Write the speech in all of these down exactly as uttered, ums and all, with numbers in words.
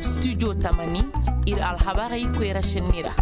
Studio tamani, ir alhabarey koyra šenni ra.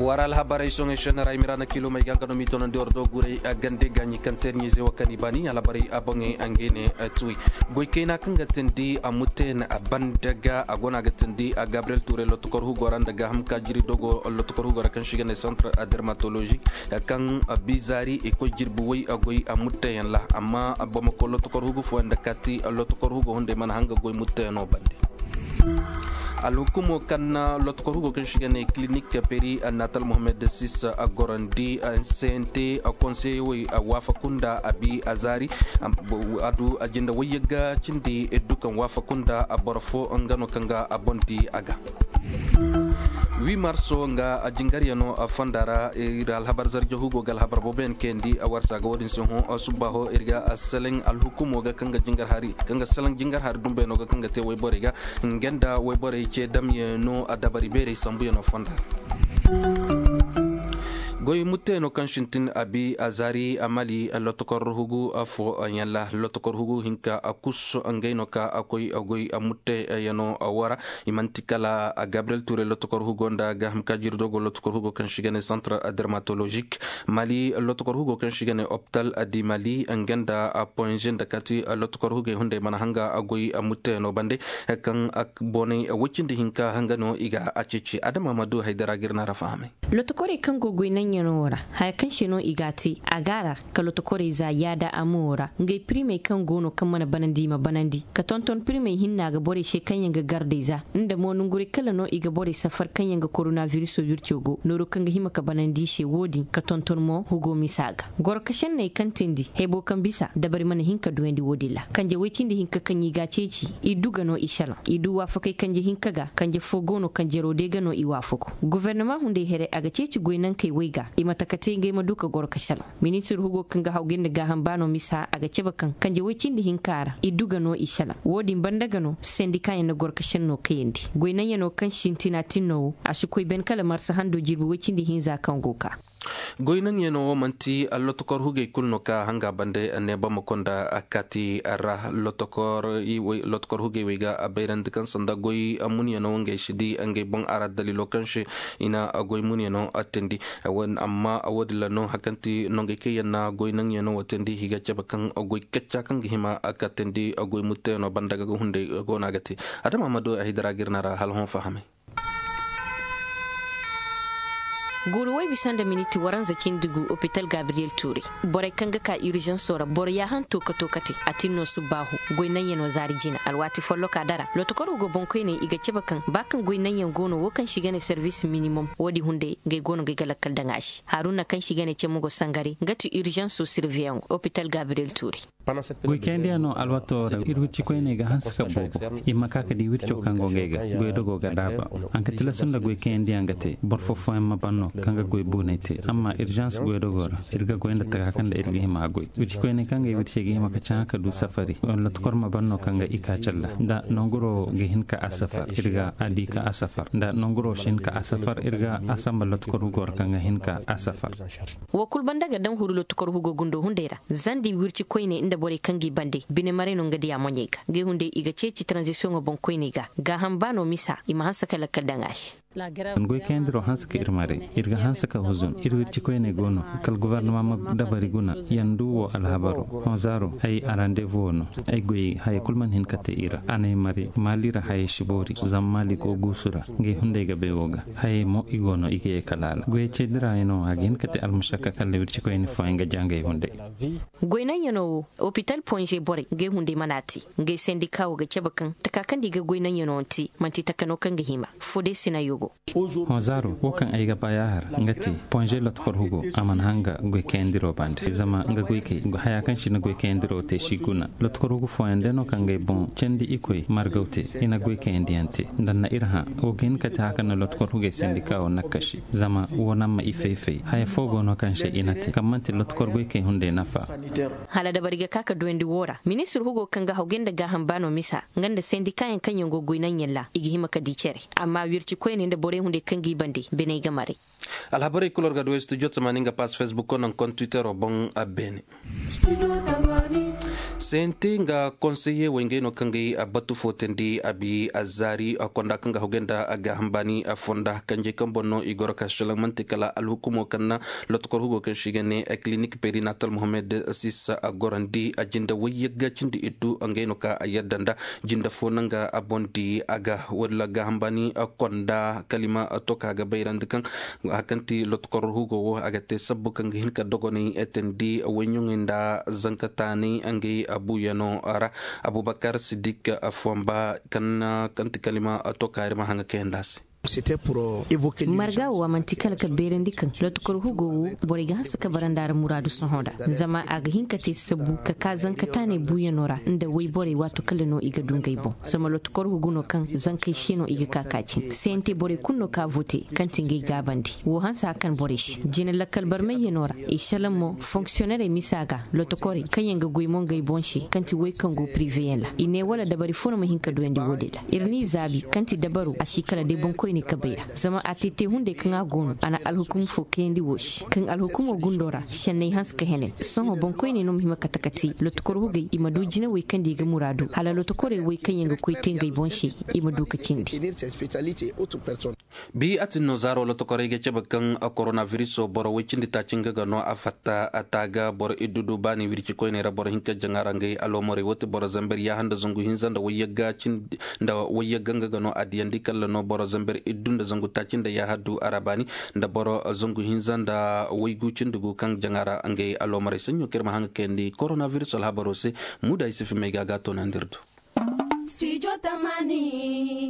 War alhabarey soŋey šenni ra i mira na kilomey ga nga no mi tonandi war do guray gande gaɲi kaŋ teer ɲiizey wo kaŋ i baani alhabarey a boŋey ngey ne. Tuwey goy kayna kaŋ ga tindi a muten a banda ga a go no a ga tindi a gabriyel tuuray lotokor hugo ra nda gaaham ka jiri dogo lotokor hugo ra kaŋ se i ga ne santar dermatolozik kaŋ bizaari i koy jirbi way a goy a mutteyaŋ ra amma bamako lotokor hugu fooyaŋ nda kaati lotokor hugo hunday mana hanga goy mutteyaŋo bande. Alhukumo kaŋ na lotokor hugo kaŋ se i ga ne kilinik peri annatal mohammed sis a gorandi a sente a konseye way a waafaku nda a bi a zaari a du a jinde wayyagga cindi iddu kaŋ waafaku nda a boro fo nga no kaŋ ga a boŋ di a ga. Wi marso nga a jingaryano a fonda ra ir alhabar zarja hugo ga alhabar booboyaŋ kayandi a warsa ga wo-din se hõ subbaaho ir ga a seleŋ alhukumo ga kaŋ ga jingar hari kaŋ ga seleŋ jingar hari dumbayano ga kaŋ ga te wayborey ga. Nga nda wayborey ce damyano a dabari beerey sambuyano fonda ra. Goy mutteyaŋo kaŋ sintin a bi a zaari a mali lotokor hugu fooyaŋ ra lotokor hugu hinka a kus ngey no ka a koy a goy mutteyaŋo woo ra. I man'ti kala gabriyel tuuray lotokor hugo nda gaaham ka jiri dogo lotokor hugo kaŋ se i ga ne santar dermatolozik mali lotokor hugo kaŋ se i ga ne opital di mali nga nda ponze nda kaati lotokor hugey hunday mana hanga a goy mutteyaŋo bande. Kaŋ boonay woy cindi hinka hanga no i ga a ceeci adama ma du haydara ga ir na ra fahamay. Lotokorey kaŋ go goy naŋyaŋo ra haya kaŋ se no i g'a te a g'a ra ka lotokorey za yaada a mo ra ngey pirimey kaŋ go no kaŋ mana banandi i ma banandi ka tonton pirimey hinna ga borey se kaŋ yaŋ ga gardey za nda mo nonguray kala no i ga borey safar kaŋ yaŋ ga koronabiriso wirco go nooru kaŋ ga hima ka banandi i se wo-din ka tonton mo hugo misa ga goro ka senney kaŋ tindi haybo kaŋ bisa dabari mana hin ka duyandi wo-din ra kanje woy cindi hinka kaŋ i g'a ceeci i du ga no i salaŋ i du waafakey kanje hinka ga kanje fo go no kanjero day ga no i waafaku. Gubernama hunday here a ga ceeci goynankey woy ga i ma taka te ngey ma du ka goro ka salaŋ. Ministir hugo kaŋ ga hawgay nda gaaham baano misa a ga cabe kaŋ kanje woy cindi hinka ra i du ga no i salaŋ wo-din banda ga no sendikaayaŋ na goro ka senno kayandi goynaŋyaŋo kaŋ sintina tinno wo a si koy ben kala marsa hando jirbi woy cindi hinza kaŋ go ka. Goy naŋyaŋo wo manti allotokor hugey kulu no ka hanga bande neebama konda kaati ra. Lotokor hugey wey ga a bayrandi kaŋ sanda goy munyaŋo ngey si di ngey boŋ a ra daliilo kaŋ se i na goy munyaŋo teendi. Amma wo- din ra no hari kaŋ ti nongey kaŋ yaŋ na goy naŋyaŋo wo teendi i ga cabe kaŋ goy kacca kaŋ ga hima ka teendi goy mutteyaŋo banda ga hunday go no a ga te. Adama ma du a hidara ga ir na ra hala hõ fahamay. Guuru woy bisa nda miniti waranza cindi gu opital gabriyel tuuray. Borey kaŋ ga ka irizansoo ra boro yaahanto ka to ka te a tin no subbaahu. Goy naŋyanoo zaari jina alwaati follokaa dara lotokor hugo boŋkoyney i ga cabe kaŋ ba kaŋ goy naŋyan go no wo kaŋ se i ga ne servis minimom wo- din hunday ngey go no ngey ga lakkal daŋ a se haruna kaŋ se i ga ne cemu go sangare nga ti irizansoo sirveyaŋo opital gabriyel tuuray. Goy kayandiyano alwato ra ir wirci koyney ga hanse ka boobo. I ma ka ka di wirco kaŋ go ngey ga goy dogo ga daaba. Haŋ ka tilasu nda goy kayandiyaŋ ga te boro fo fooyaŋ ma ban no kaŋ ga goy buunay te amma irzans goy dogo ra ir ga goy nda taka kaŋ nda ir ga hima goy wirci koyney kaŋ ga i wircey ga hima ka caŋa ka du safari wala tukor ma ban no kaŋ ga i ka calla nda nonguro ga hin ka a safar ir ga a di ka a safar nda nonguro si hin ka a safar ir ga a samba lotukor hugo ra kaŋ ga hin ka a safar. Wo kulu banda ga daŋ huru lotukor hugo gundo hunday ra. Zandi wirci koyne nda borey kaŋ g'i bande bine maray no nga diya moɲey ga ngey hunday i ga ceeci taranzisiyoŋo boŋ koyney ga. Gaaham ba no misa i ma hanse ka lakkal daŋ a se. Goy kayandiro hanse ka ir maray ir ga hanse ka huzun ir wirci koyney go no. Kala gobornoma ma dabari guna yandu wo alhabaro honzaro ay arandevu wo no. Ay goy haya kulu mana hin ka te i ra a n'ay maray maali ra haya si boori zama maali go guusu ra. Ngey hunday ga bay wo ga hayey mo i go no i ga ye kala ra goyey ceedirayaŋo a ga hin ka te almusakka kala wirci koyne fooyaŋ ga ja ngey hunday. Goy naŋyanoo wo opital ponze borey ngey hunday mana a te. Ngey sendika wo ga cabe kaŋ taka kaŋ nda i ga goy naŋyanoo te man'ti taka no kaŋ ga hima. Fo day si naŋ yogo. Honzaaro wo kaŋ ay ga ba yaahar nga te ponze lotkor hugo a mana hanga goy kayandiro bande zama nga goykey haya kaŋ si na goy kayandiro te si guna. Lotkor hugo fooyaŋ day no kaŋ ngey boŋ candi ikoy margaw te i na goy kayandiyaŋ te nda na ir hã. Wo ga hin ka te haka na lotkor hugey sendika wo nakkasi zama wo naŋ ma i fay-fay haya fo go no kaŋ se i na te kaŋ man'ti lotkor goykey hunday nafa. Hala dabari ga ka ka duyandi wo ra ministir hugo kaŋ ga hawgay nda gaaham baano misa nga nda sendikaayaŋ kaŋ yaŋ go goy naŋyaŋ ra i ga hima ka di cere. Amma wirci koyne. Da borey hunday kaŋ g'i bande biney ga maray. Alhabarey kul war ga du studio tamaani nga pass facebook ko naŋ kon twittero boŋ a beene. Sente nga konseye wey ngey no kaŋ gay a batu fo teendi a bi a zaari a konda kaŋ ga hogay nda a gaaham baani a fonda kanjey kaŋ boŋ no i goro ka selaŋ manti kala alhukumo kaŋ na lotokor hugo kaŋ se i ga ne a kilinik perinatal mohammed sisa a gorandi a jinde wayyagga cindi iddu ngey no ka a yadda nda jinde fo naŋ ga a boŋ di a ga walla gaaham baani a konda kalima a to ka ga bayrandi kaŋ a kaŋ ti lotokor hugo wo a ga te sabbu kaŋ ga hin ka dogonay teendi wayɲuŋey nda zanka taanay ngey a buuyano ra. Abubakar sidik fomba kaŋ ti kalima a to ka ir ma haŋa kayandi a se. Marga wo a manti kala ka beerandi kaŋ lotokor hugo wo borey ga hanse ka bara nda a ra muraadu sohõ ra. Zama a ga hin ka te sabbu ka ka zanka taanay buuyano ra nda wayborey waato kala no i ga du ngey boŋ zama lotokor hugo no kaŋ zankey se no i ga ka ka cin sente borey kulu no ka vote kaŋ ti ngey gaabandi wo hanse a kaŋ borey se jina lakkal barmayyano ra. I salaŋ mo fonksiyonerey misa ga lotokorey kaŋ yaŋ ga goy mo ngey boŋ se kaŋ ti wey kaŋ go piriveyaŋ ra i ne wala dabari fo no ma hin ka duyandi wo-din ra. Ir n'i zaabi kaŋ ti dabaro a si kala day boŋkoyney kabey ra zama a te te hunday kaŋ a go no a na alhukum fo kayandi wo se kaŋ alhukumo gundo ra senney hanse ka henen. Sohõ boŋkoyney no ma hima kate kate lotokor hugey i ma du jinawey kaŋ da i ga muraadu hala lotokorey wey kaŋ yaŋ ga koy te ngey boŋ se i ma du ka cindi. Bi a tin no zaaro lotokorey ga cabe kaŋ koronabiriso boro woy cindi taaci nga ga no a fatta a taaga boro iddu du baani wirci koyney ra boro hinka jaŋa ra ngey aloomorey wo ti boro zamber yaaha nda zangu hinza nda wayyagga nga ga no a diyandi kalla no boro zamber iddu nda zangu taaci nda yaaha du a ra baani nda boro zangu hinza nda waygu cindi gu kaŋ jaŋa ra ngey aloomorey saɲɲo kaŋ ir ma haŋ ga kayandi koronabiriso alhabaro se. Muda ay si fi may ga a ga a toonandi ir do.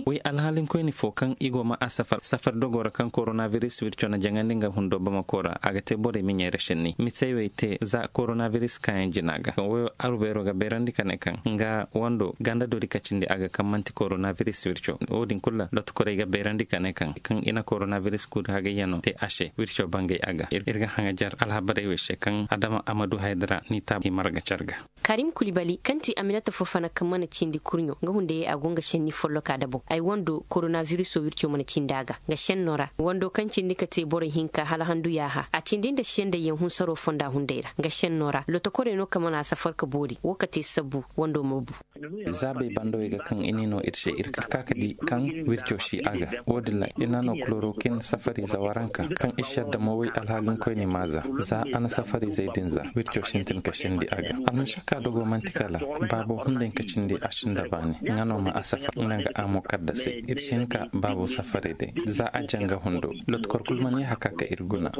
Way alhaalinkoyni fo kaŋ i go ma a safar safar dogo ra kaŋ koronabiris wirco na jaŋandi nga hundo bamako ra a ga te borey miɲey ra šenni misey wey te za koronabiris kaayaŋ jina ga kaŋ wayo aru beero ga beerandi ka ne kaŋ nga wando ganda dori kacindi a ga kaŋ man'ti koronabiris wirco. Wo-din kulu ra lotokorey ga beerandi ka ne kaŋ kaŋ i na koronabiris guudu hagayyano te a se wirco bangay a ga ir ga haŋajar alhabarey wey se kaŋ adama a ma du hayda ra ni taabu i marga car ga. Karim kulibali kaŋ ti aminata fofana kaŋ mana cindi kurɲo nga hunday a go nga senni folloka dabo ay wando koronabiriso wirco mana cindi a ga nga senno ra wando kaŋ cindi ka te borey hinka hala handu yaaha a cindi nda sendayyaŋ hunsaro fonda hunday ra nga senno ra lotokorey no kaŋ mana a safar ka boori wo ka te sabbu wando ma bu. Zaabey bandawey ga kaŋ i n'i no ir se ir ka ka di kaŋ wirco si a ga. Wo-din ra i na no kulorokin safariize waranka kaŋ i si yadda mo way alhaalinkoyni maaza za a na safariizey din za wirco sintin ka sindi a ga. Almušakka dogo man'ti kala baabo hunday ka cindi a sinda baani nga no ma a safar nga nga a mo kaddasey ir si hin ka baabo safarey day za a janga hundo. Lotkor kul mana yee haka ka ir guna.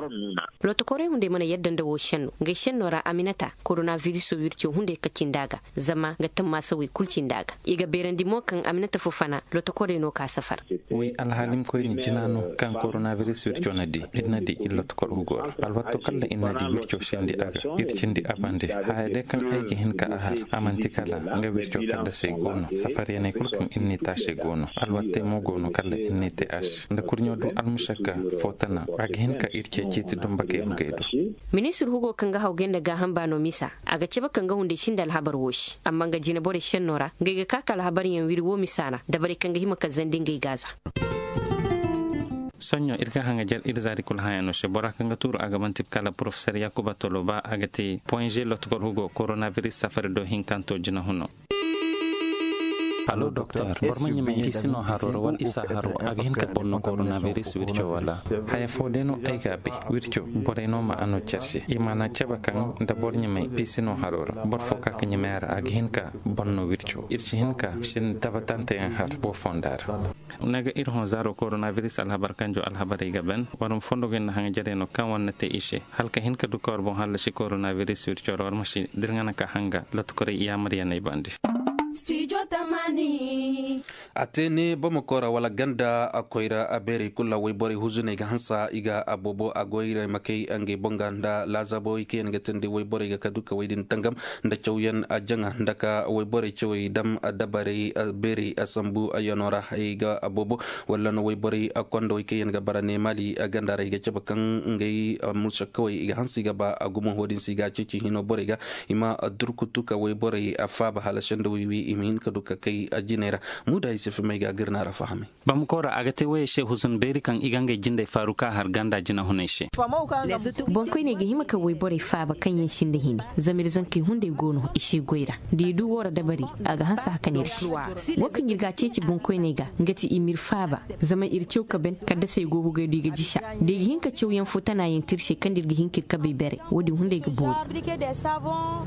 Lotokorey hunday mana yadda nda wo senno ngey senno ra aminata koronabiriso wirco hunday ka cindi a ga zama nga tammaasa wey kul cindi a ga. I ga beerandi mo kaŋ aminata fofana lotokorey no ka safar. Way alhaalimkoyni jina no kaŋ koronabiris wirco na di ir na di ir lotokor hugo ra alwatto kalla ir na di wirco sendi a ga. Ir cindi a bande haya day kaŋ ay ga hin ka a har a man'ti kala nga wirco kaddasey go no safaryaney kul kaŋ ir n'i te a se go no alwattey mo go no kalla ir n'i te a se nda kurɲo du almušakka fo tana a ga hin ka ir ceeciiti dumbakey hugey do. Ministir hugo kaŋ ga hawgay nda gaaham baano misa a ga cabe kaŋ ga hunday sinda alhabar wo se amma nga jinaborey senno ra ngey ga ka ka alhabaryaŋ wiri wo misa ra dabarey kaŋ ga hima ka zandi ngey gaaza. Soɲõ ir ga haŋajar ir zaari kul hãyaŋo se bora kaŋ ga tuuru a ga man'ti kala porofesor yakuba toloba a ga te poinze lotokor hugo koronabiris safari do hinkanto jinahuno. Boro ma ɲamay piisino haro ra wala isa haro a ga hin ka bonno koronabiris wirco wala haya fo day no ay ga a bay wirco borey no ma a no care se i mana cabe kaŋ nda boro ɲamay piisino haro ra boro fo ka ka ɲamay a ra a ga hin ka bonno wirco ir si hin ka sin tabatanteyaŋ har wo fonda ra. Naga ir hõ zaaro koronabiris alhabar kanjo alhabarey ga ban war ma fondo ga ir na haŋajarey no kaŋ war na te i se hala ka hin ka du ka war boŋ hallasi koronabiris wirco ra war ma si da ir ŋana ka hanga lotokorey yaamaryaney bande. A te ne bamako ra wala ganda koyra beerey kulu ra wayborey huzuney ga hansa i ga a boobo a goyray ma kay ngey boŋ ga nda laazaabawey kaŋ yaŋ ga teendi wayborey ga ka du ka wey din tangam nda cawyaŋ a jaŋa nda ka wayborey cawey dam dabarey beerey a sambu yano ra ay ga a boobo wala no wayborey kondawey kaŋ yaŋ ga bara ne maali ganda ra i ga cabe kaŋ ngey musakkawey i ga hanse i ga ba a gumo ho din se i ga a ceeci hino borey ga i ma durkutu ka wayborey faaba hala senda wiwi i ma hin ka du ka kay jinay ra. Muda ay Sifimey ga gir na ra fahamay. Bamako ra a ga te woyey se huzun beeri kaŋ i ga ngey jindey faaru ka har ganda jinahuney se. Boŋkoyney ga hima ka woyborey faaba kaŋ yaŋ sinda hini, zama ir zankey hunday go no i si goy ra. Da i du woo ra dabari, a ga hanse hakan ir se. Woo kaŋ ir ga a ceeci boŋkoyney ga, nga ti i m'ir faaba, zama ir caw ka ben kaddasey go ga goy da i ga jisa. Da i ga hin ka cawyaŋ fo tana yaŋ te ir se kaŋ da ir ga hin ka ir kabey bare, woo din hunday ga boori.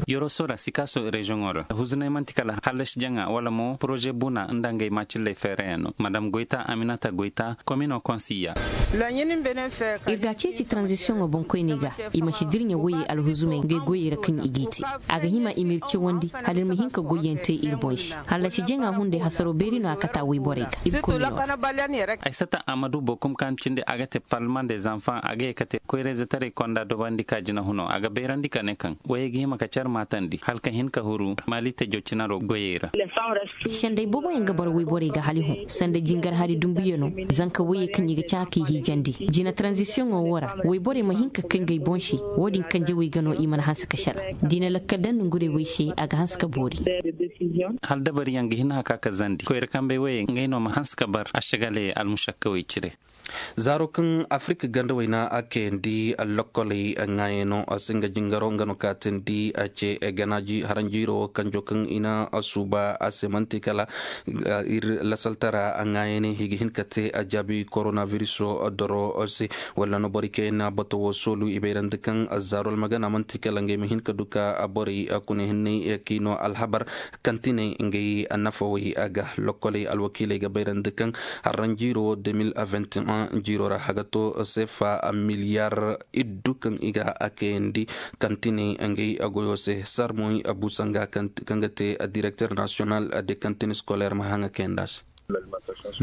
Yoroso ra sikaaso reziyoŋo ra huzuney man'ti kala hallasi jaŋa wala mo poroze buna nda ngey maacilley feereyaŋ no madam goyta aminata goyta komino konsiya. Ir ga a ceeci taranzisiyoŋo boŋkoyney ga, i ma si dirɲa woyey alhuzumey ngey goyey ra kaŋ i g'i te. A ga hima i m'ir cawandi hala ir ma hin ka goyyaŋ te ir boŋ se. Hallasi jaŋa hunday hasaro beeri no a kata woyborey ga. Ay sata amadu bokum kaŋ cindi a ga te parlement des enfants a ga ye ka te koyrayzetaray konda dobandi ka jinahuno a ga bayrandi ka ne kaŋ woyey ga hima ka car maatandi hala ka hin ka huru maali tejo cinaro goyey ra. Senday booboyaŋ ga boro woyborey ga hali hõ sanda jingar hari dumbuyano, zanka woyey kaŋ i ga caa k'i hiijandi jina taranzisiyoŋo woo ra. Woyborey ma hin ka kay ngey boŋ se. Woo din kaŋ jawey ga no i mana hanse ka sara. Diina lakkal daŋ nongurey woy se a ga hanse ka boori. Hala dabariyaŋ ga hin haka ka zandi koyra kambey woyey ngey no ma hanse ka bar ašagaley almušakkawey cire. Zaaro kaŋ afirka ganda wayna a kayandi lokkoley ŋaayano se nga jingaro nga no kaatandi a ce ganaaji haranjiiro kanjo kaŋ i na suuba a se man'ti kala ir lasaltara ŋaayane i ga hin ka te a jaabi koronabiriso doro se. Walla no borey kaŋ yaŋ na bato wo soolu i bayrandi kaŋ zaaro almagana man'ti kala ngey ma hin ka du ka borey kune hinney kaŋ i no alhabar kantiney ngey nafawey a ga lokkoley alwakiiley ga bayrandi kaŋ haranjiiro wo deux mille vingt et un jiiro ra haga to sefa miliyar iddu kaŋ i ga a kayandi kantiney ngey goyo se sarmoy busanga kaŋ ga te directeur national de kantine scolaire ma haŋa kayanda se.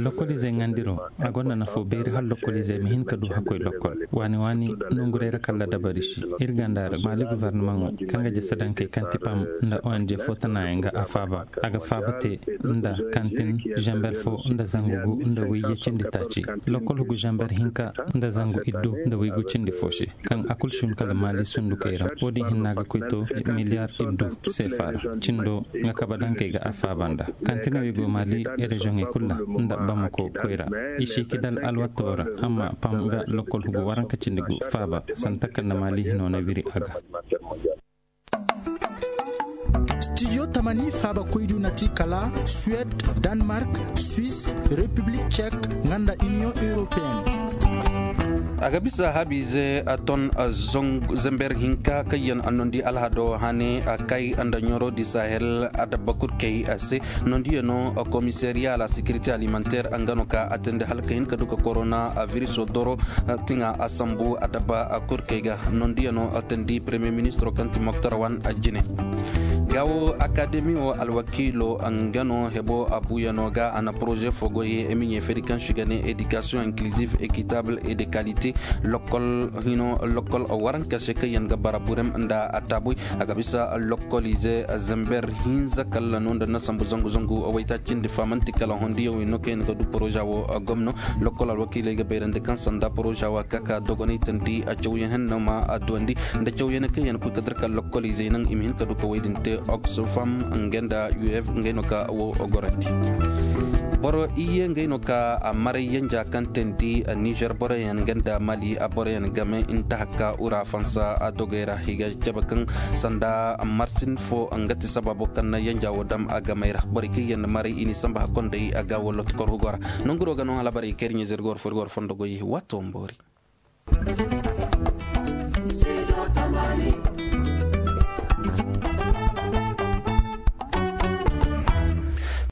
Lokoliizey ŋandiro a gonda nafo beeri hala lokoliizey ma hin ka du hakkoy lokol waani waani nonguray ra kalla dabari si ir ganda ra maali guvarnamaŋo kaŋ ga jasa dankey kaŋ ti pam nda ong fo tanayaŋ ga a faaba a ga faaba te nda kantin zamber fo nda zangu gu nda wayye cindi taaci lokol hugu zamber hinka nda zangu iddu nda waygu cindi fo se kaŋ a kul si hun kala maali sundukey ra wo-din hinna ga koy to miliyar iddu seefa ra cindo nga kabe dankey ga a faaba nda kantiney wey go maali reziyoŋey kul ra nda bamako koyra i si kidal alwato ra amma pam ga lokol hugu waranka cindi gu faaba sanda takanda maali hino na wiri a ga. Studio tamani faaba koydu na ti kala suwed, danmark, swis, repiblik cek, nga nda iniyoŋ europeen. A ga bisa habiize ton zember hinka kaŋ yaŋ a nondi alhado hane a kay nda ɲoro di sahel adabba kurkey a se nondiyano komisariya la securité alimentaire nga no ka a tende hala ka hin ka du ka korona viriso doro tiŋa a sambu adabba kurkey ga nondiyano tandi premier ministro kaŋ ti moktar wan jine. Gaawo akademi wo alwakiilo nga no hebo abuyano ga a na poroze fo goy emiɲe feri kaŋ si ga ne éducation inclusive équitable et de qualité. Lokkol hino lokkol waranka se kaŋ yaŋ ga bara burem nda ataabuy a ga bisa lokkoliize zember hinza kalla no nda na sambu zangu zangu waytaacindi famanti kala hondiyaŋ wey no kaŋ yaŋ ga du poroza wo gomno. Lokkol alwakiiley ga bayrandi kaŋ sanda poroza wo a ka ka dogonay tandi a cawyaŋ henno ma a duwandi nda cawyaŋ kaŋ yaŋ koy ka dir kala lokkoliizey naŋ i ma hin ka du ka wey din te oxfam nga nda uf ngey no ka wo gorandi. Boro iyye ngey no ka a maray yanja kaŋ teendi nizer boroyaŋ nga nda mali a boroyaŋ game nta hakka ura fansa a dogey ra i ga cabe kaŋ sanda marsin fo nga ti sababo kaŋ na yanja wo dam a gamey ra borey kaŋ yaŋ maray i ni samba hakkondey a ga wo loto korhugo ra. Nonguro ga no hala barey kayri ɲizir gor furgor fondo goy wato mboori.